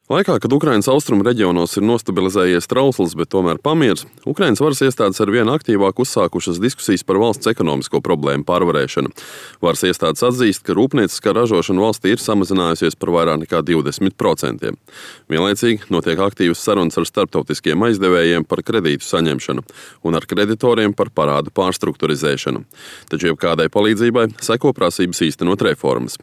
Laikā, kad Ukrainas austrumu reģionos ir nostabilizējies trausls, bet tomēr pamiers, Ukrainas varas iestādes ar vien aktīvāk uzsākušas diskusijas par valsts ekonomisko problēmu pārvarēšanu. Varas iestādes atzīst, ka rūpnieciskā ražošana valstī ir samazinājusies par vairāk nekā 20%. Vienlaicīgi notiek aktīvas sarunas ar starptautiskiem aizdevējiem par kredītu saņemšanu un ar kreditoriem par parādu pārstrukturizēšanu. Taču jebkādai palīdzībai seko prasības īstenot reformas.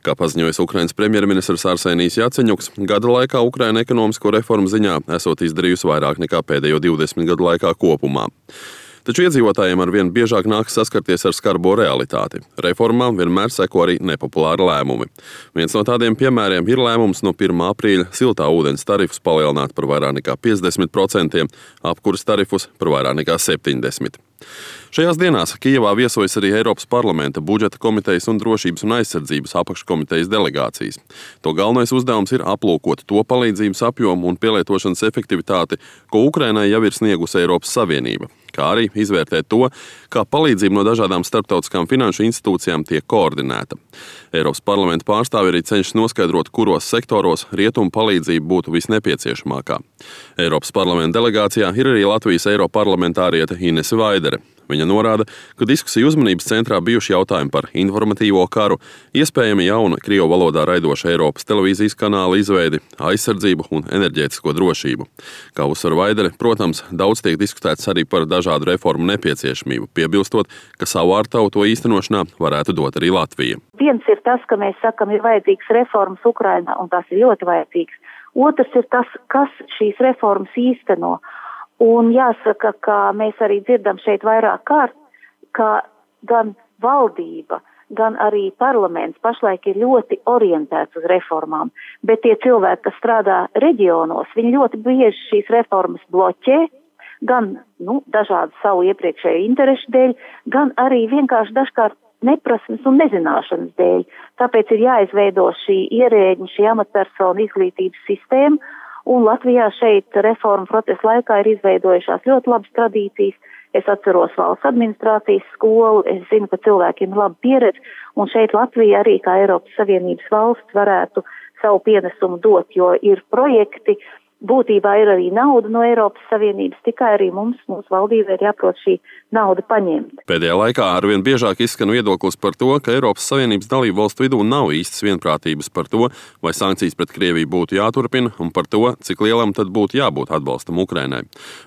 Kā paziņoja Ukrainas premjerministrs Arsenijs Jaceņuks, gada laikā Ukraina ekonomisko reformu ziņā esot izdarījusi vairāk nekā pēdējo 20 gadu laikā kopumā. Taču iedzīvotājiem ar vien biežāk nākas saskarties ar skarbo realitāti. Reformām vienmēr seko arī nepopulāri lēmumi. Viens no tādiem piemēriem ir lēmums no 1. aprīļa siltā ūdens tarifus palielināt par vairāk nekā 50%, apkuras tarifus par vairāk nekā 70%. Šajās dienās Kijevā viesojas arī Eiropas parlamenta budžeta komitejas un drošības un aizsardzības apakškomitejas delegācijas. To galvenais uzdevums ir aplūkot to palīdzības apjomu un pielietošanas efektivitāti, ko Ukrainai jau ir sniegusi Eiropas Savienība, kā arī izvērtēt to, kā palīdzība no dažādām starptautiskām finanšu institūcijām tiek koordinēta. Eiropas parlamenta pārstāvi arī cenšas noskaidrot, kuros sektoros rietumu palīdzība būtu visnepieciešamākā. Eiropas parlamenta delegācijā ir arī Latvijas eiroparlamentāriete Inese Vaidere. Viņa norāda, ka diskusiju uzmanības centrā bijuši jautājumi par informatīvo karu, iespējami jaunu krievu valodā raidošu Eiropas televīzijas kanāla izveidi, aizsardzību un enerģētisko drošību. Kā uzsver Vaidere, protams, daudz tiek diskutēts arī par dažādu reformu nepieciešamību, piebilstot, ka savu ārtavu to īstenošanā varētu dot arī Latvija. Viens ir tas, ka mēs sakam, ir vajadzīgs reformas Ukrainā, un tas ir ļoti vajadzīgs. Otrs ir tas, kas šīs reformas īsteno. Un jāsaka, ka mēs arī dzirdam šeit vairāk kārt, ka gan valdība, gan arī parlaments pašlaik ir ļoti orientēts uz reformām, bet tie cilvēki, kas strādā reģionos, viņi ļoti bieži šīs reformas bloķē, gan dažādu savu iepriekšēju interešu dēļ, gan arī vienkārši dažkārt neprasmes un nezināšanas dēļ. Tāpēc ir jāizveido šī ierēģņa, šī amatpersonu izglītības sistēma, un Latvijā šeit reformu procesa laikā ir izveidojušās ļoti labas tradīcijas. Es atceros valsts administrācijas skolu, es zinu, ka cilvēkiem ir laba pieredze, un šeit Latvija arī kā Eiropas Savienības valsts varētu savu pienesumu dot, jo ir projekti, būtībā ir arī nauda no Eiropas Savienības, tikai arī mūsu valdībai ir jāprot šī nauda paņemt. Pēdējā laikā arvien biežāk izskan viedoklis par to, ka Eiropas Savienības dalību valstu vidū nav īstas vienprātības par to, vai sankcijas pret Krieviju būtu jāturpina, un par to, cik lielam tad būtu jābūt atbalstam Ukrainai.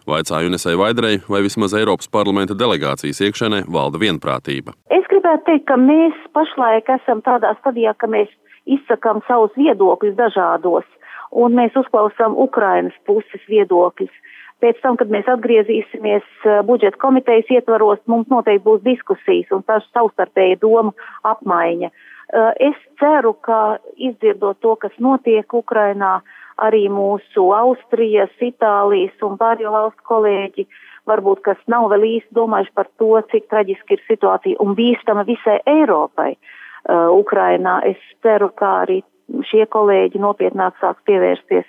Vaicāju Inesei Vaiderei, vai vismaz Eiropas parlamenta delegācijas iekšēnē valda vienprātība. Es gribētu teikt, ka mēs pašlaik esam tādā stadijā, ka mēs izsakām savus viedokļus dažādos, un mēs uzklausām Ukrainas puses viedokļus. Pēc tam, kad mēs atgriezīsimies budžeta komitejas ietvaros, mums noteikti būs diskusijas un tā savstarpēja domu apmaiņa. Es ceru, ka izdzirdot to, kas notiek Ukrainā, arī mūsu Austrijas, Itālijas un pārējo valstu kolēģi, varbūt kas nav vēl īsti domājuši par to, cik traģiski ir situācija un bīstama visai Eiropai Ukrainā. Es ceru, ka arī šie kolēģi nopietnāk sāks pievērsties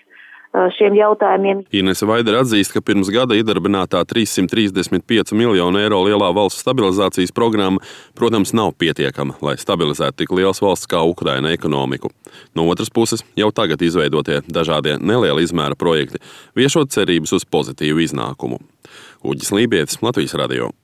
šiem jautājumiem. Inese Vaidere atzīst, ka pirms gada iedarbinātā 335 miljonu eiro lielā valsts stabilizācijas programma, protams, nav pietiekama, lai stabilizētu tik liels valsts kā Ukraina ekonomiku. No otras puses, jau tagad izveidotie dažādie neliela izmēra projekti viešot cerības uz pozitīvu iznākumu. Uģis Lībietis, Latvijas radio.